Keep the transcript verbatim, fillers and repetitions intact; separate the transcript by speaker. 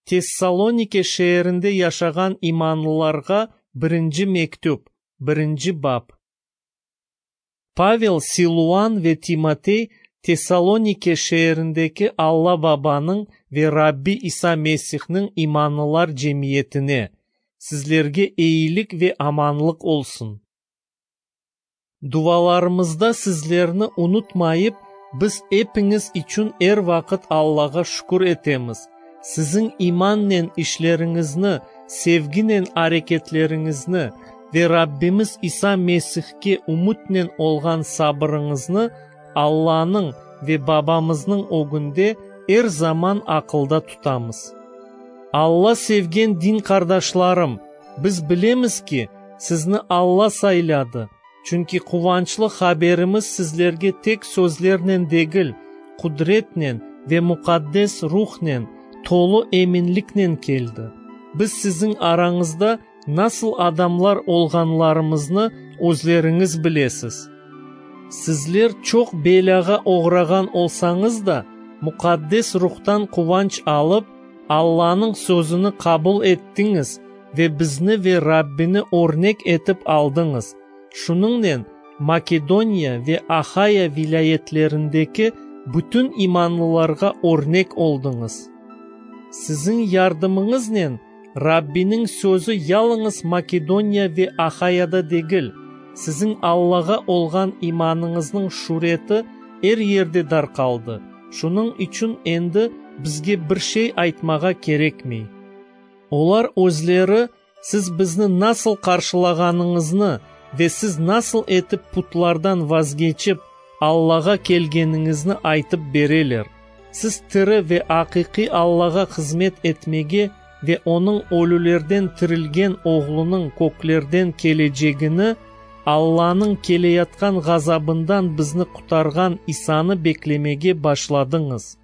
Speaker 1: Tessalonike şeerinde yaşağan imanlılarğa birinci mektüp, birinci bap. Pavel, Siluan ve Timotey Tessalonike şeerindeki Alla Babanıñ ve Rabbi İsa Mesihniñ imanlılar cemiyetine, sizlerge eyilik ve amanlıq olsun. Dualarımızda sizlerni unutmayıp, biz epiñiz içün er vaqıt Allağa şükür etemiz. Siziñ imannen işleriñizni, sevginen areketleriñizni ve Rabbimiz İsa Mesihke ümütnen olğan sabırıñıznı Allanıñ ve Babamıznıñ ögünde er zaman aqılda tutamız. Alla sevgen din qardaşlarım, biz bilemiz ki, sizni Alla sayladı, çünki quvançlı haberimiz sizlerge tek sözlernen degil, qudretnen ve muqaddes ruhnen, tolu eminliknen keldi. Biz siziñ arañızda nasıl adamlar olğanlarımıznı özleriñiz bilesiz. Sizler çoq belâğa oğrağan olsañız da, muqaddes ruhtan quvanç alıp, Allanıñ sözüni qabul ettiñiz ve bizni ve Rabbini örnek etip aldıñız. Şunıñnen Makedoniya ve Ahaya vilâyetlerindeki bütün imanlılarğa örnek oldıñız. Siziñ yardımıñıznen Rabbiniñ sözü yalıñız Makedoniya ve Ahayada degil, siziñ Allağa olğan imanıñıznıñ şüreti er yerde darqaldı. Şunıñ içün endi bizge bir şey aytmağa kerekmey. Olar özleri siz bizni nasıl qarşılağanıñıznı ve siz nasıl etip putlardan vazgeçip Allağa kelgeniñizni aytıp bereler. Siz tiri ve aqiqiy Allağa hızmet etmege ve Onıñ ölülerden tirilgen Oğlunıñ köklerden kelecegini, Allanıñ keleyatqan ğazabından bizni qurtarğan İsanı beklemege başladıñız.